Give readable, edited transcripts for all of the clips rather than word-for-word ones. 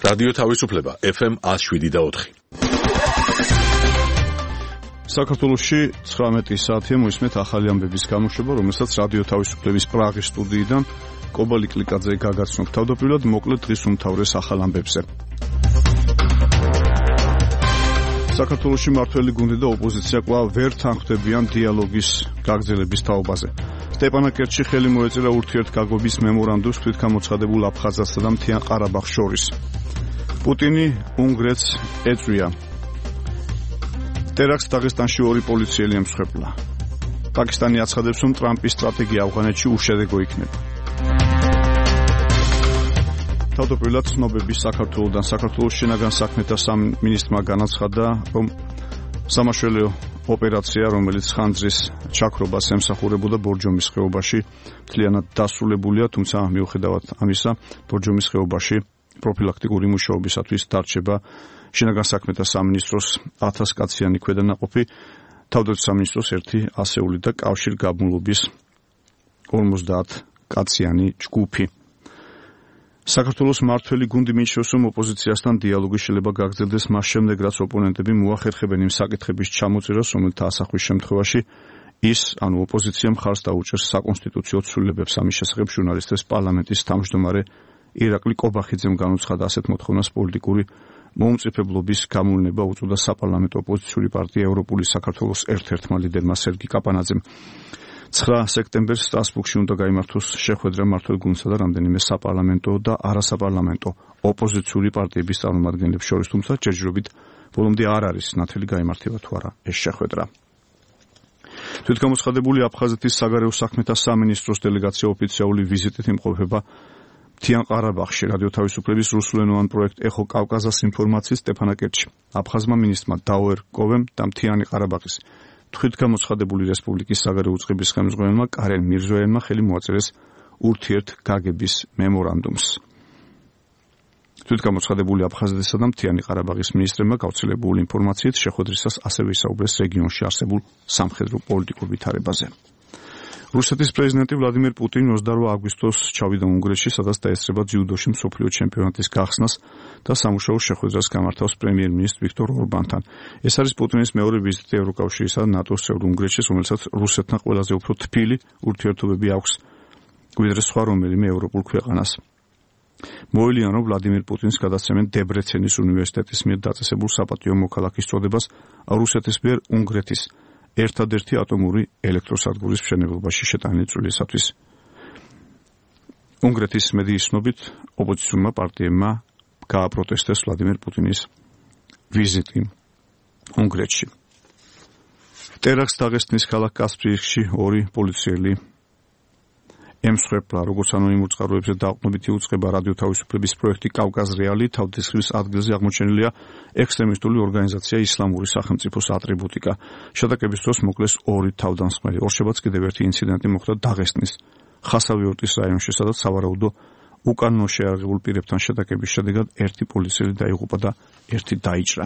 რადიო თავისუფლება FM 107.4. საქართველოში 19 საათია მოისმენთ ახალი ამბების გამოშვება, რომელსაც რადიო თავისუფლების პრაღის სტუდიიდან კობალი კლიკაძე გაგაცნობ. თავდაპირველად მოკლედ დღის უმთავრეს ახალ ამბებზე. საქართველოში მართველი გუნდი და ოპოზიცია კვლავ ვერ თანხმდებიან დიალოგის გაგრძელების თაობაზე. სტეპანაკერტში ხელი მოეწერა ურთიერთგაგობის მემორანდუმს თვითგამოცხადებულ აფხაზეთსა და მთიან ყარაბაღს შორის. პუტინი უნგრეთს ეწვია. ტერაქტს დაღესტანში 2 პოლიციელი ემსხვერპლა. პაკისტანი აცხადებს, რომ ტრამპის სტრატეგია ავღანეთში უშედეგო იქნება. თავდაპირველად ცნობები საქართველოსთან საქართველოს შინაგან საქმეთა სამინისტრმა განაცხადა, რომ სამაშველო ოპერაცია, რომელიც ხანძრის ჩაქრობას ემსახურებოდა ბორჯომის ხეობაში, მთლიანად დასრულებულია, თუმცა მიუხედავად ამისა, ბორჯომის ხეობაში პროფილაქტიკური მუშაობისათვის დარჩება შინაგან საქმეთა სამინისტროს 1000 კაციანი ქვედანაყოფი, თავდაცვის სამინისტროს 1 ასეული და კავშირგაბმულობის 50 კაციანი ჯგუფი. საქართველოს მართველი გუნდი მიიჩნევს, რომ ოპოზიციასთან დიალოგის შეიძლება გაგრძელდეს მას შემდეგ, რაც ოპონენტები მოახერხებენ იმ საკითხების ჩამოწერას, რომელთა ასახვის შემთხვევაში ის, ანუ ოპოზიცია მხარს დაუჭერს საკონსტიტუციო ცვლილებებს. ამის შესახებ ჟურნალისტებს პარლამენტის თავმჯდომარე ირაკლი კობახიძემ განუცხადა ასეთ მოთხოვნას პოლიტიკური მომწიფებლობის გამოვნება უწოდა საპარლამენტო ოპოზიციური პარტია ევროპული საქართველოს ერთ-ერთმა ლიდერმა სერგი კაპანაძემ. 9 სექტემბერს სტრასბურგში უნდა გაიმართოს შეხვედრა მმართველ გუნდსა და რამდენიმე საპარლამენტო და არასაპარლამენტო ოპოზიციური პარტიების წარმომადგენლებს შორის, თუმცა ჯერჯერობით ბოლომდე არ არის ნათელი გაიმართება თუ არა ეს შეხვედრა. თვითგამოცხადებული აფხაზეთის საგარეო საქმეთა სამინისტროს დელეგაცია ოფიციალური ვიზიტით იმყოფება მთიან ყარაბაღში. რადიო თავისუფლების რუსულენოვან პროექტ ეხო კავკაზას ინფორმაციის სტეპანაკერტში აფხაზმა მინისტრმა დაუერ კოვემ და მთიანი ყარაბაღის თვითგამოცხადებული რესპუბლიკის საგარეო უწყების ხელმძღვანელმა კარენ მირზოიანმა ხელი მოაწერეს ურთიერთგაგების მემორანდუმს. თვითგამოცხადებული აფხაზეთისა და მთიანი ყარაბაღის მინისტრებმა გავრცელებული ინფორმაციით შეხვედრისას ასევე ისაუბრეს რეგიონში არსებულ სამხედრო პოლიტიკურ ვითარებაზე. რუსეთის პრეზიდენტი ვლადიმერ პუტინი 28 აგვისტოს ჩავიდა უნგრეთში, სადაც დაესწრება ძიუდოში მსოფლიო ჩემპიონატის გახსნას და სამუშაო შეხვედრას გამართავს პრემიერ-მინისტრ ვიქტორ ორბანთან. ეს არის პუტინის მეორე ვიზიტი ევროკავშირისა და ნატოს წევრ უნგრეთში, რომელსაც რუსეთთან ყველაზე უფრო თბილი ურთიერთობები აქვს ვიდრე სხვა რომელიმე ევროპულ ქვეყანას. მოელიან, რომ ვლადიმერ პუტინს გადასცემენ დებრეცენის უნივერსიტეტის მიერ დაწესებულ საპატიო მოქალაქის წოდებას რუსეთის მიერ უნგრეთის ერთადერთი ატომური ელექტროსადგურის მშენებლობაში შეტანილი წვლილისათვის. უნგრეთის მედიის ცნობით, ოპოზიციურმა პარტიებმა გააპროტესტეს ვლადიმერ პუტინის ვიზიტი უნგრეთში. ტერაქტს დაღესტნის ქალაქ კასპიისკში 2 პოლიციელი ემსხვერპლა. როგორც ანონიმურ წყაროებზე დაყრდნობითი უწყება რადიო თავისუფლების პროექტი კავკაზ რეალი თავდასხმის ადგილზე აღმოჩენილია ექსტრემისტული ორგანიზაცია ისლამური სახელმწიფოს ატრიბუტიკა. შეტაკების დროს მოკლეს 2 თავდამსხმელი. ორშაბათს კიდევ ერთი ინციდენტი მოხდა დაღესტნის ხასავიორტის რაიონში, სადაც სავარაუდო უკანონო შეიარაღებულ პირებთან შეტაკების შედეგად 1 პოლიციელი დაიღუპა და 1 დაიჭრა.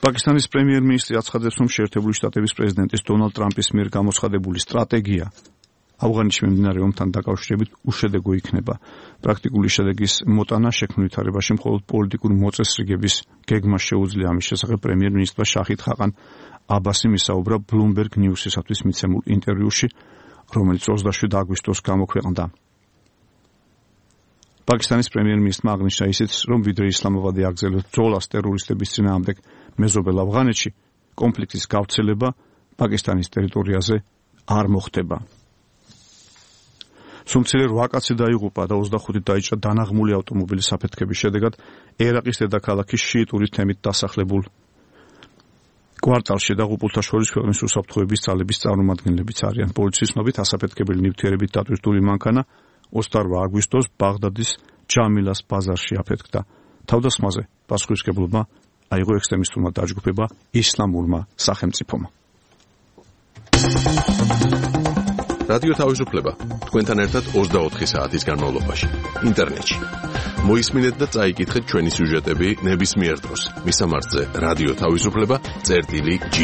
პაკისტანის პრემიერ-მინისტრი აცხადებს, რომ შეერთებული შტატების პრეზიდენტის დონალდ ტრამპის მიერ გამოცხადებული სტრატეგია ავღანეთში მიმდინარე ომთან დაკავშირებით უშედეგო იქნება. პრაქტიკული შედეგის მოტანა შექმნილ ვითარებაში მხოლოდ პოლიტიკური მოწესრიგების გეგმა შეუძლია. ამის შესახებ პრემიერ-მინისტრმა შაჰიდ ხაყან აბასიმ ისაუბრა Bloomberg News-ისათვის მიცემულ ინტერვიუში, რომელიც 27 აგვისტოს გამოქვეყნდა. პაკისტანის პრემიერ-მინისტრმა აღნიშნა ისიც, რომ ვიდრე ისლამაბადი აგრძელებს ბრძოლას ტერორისტების წინააღმდეგ მეზობელ ავღანეთში, კონფლიქტის გავრცელება პაკისტანის ტერიტორიაზე არ მოხდება. სუმცირე 8 კაცი დაიღუპა და 25 დაიჭრა დანაღმული ავტომობილის აფეთქების შედეგად ერაყის დედაქალაქის შიიტური თემით დასახლებულ კვარტალში. დაღუპულთა შორის ქვეყნის უსაფრთხოების ძალების წარმომადგენლებიც არიან. პოლიციის ცნობით ასაფეთქებელი ნივთიერებით დატვირთული მანქანა 28 აგვისტოს ბაღდადის ჯამილას ბაზარში აფეთქდა. თავდასხმაზე პასუხისმგებლობა აიღო ექსტრემისტულმა დაჯგუფება ისლამურმა სახელმწიფომ. რადიო თავისუფლება თქვენთან ერთად 24 საათის განმავლობაში ინტერნეტში. მოისმინეთ და წაიკითხეთ ჩვენი სიუჟეტები ნებისმიერ დროს. მისამართზე რადიო თავისუფლება წერტილი G.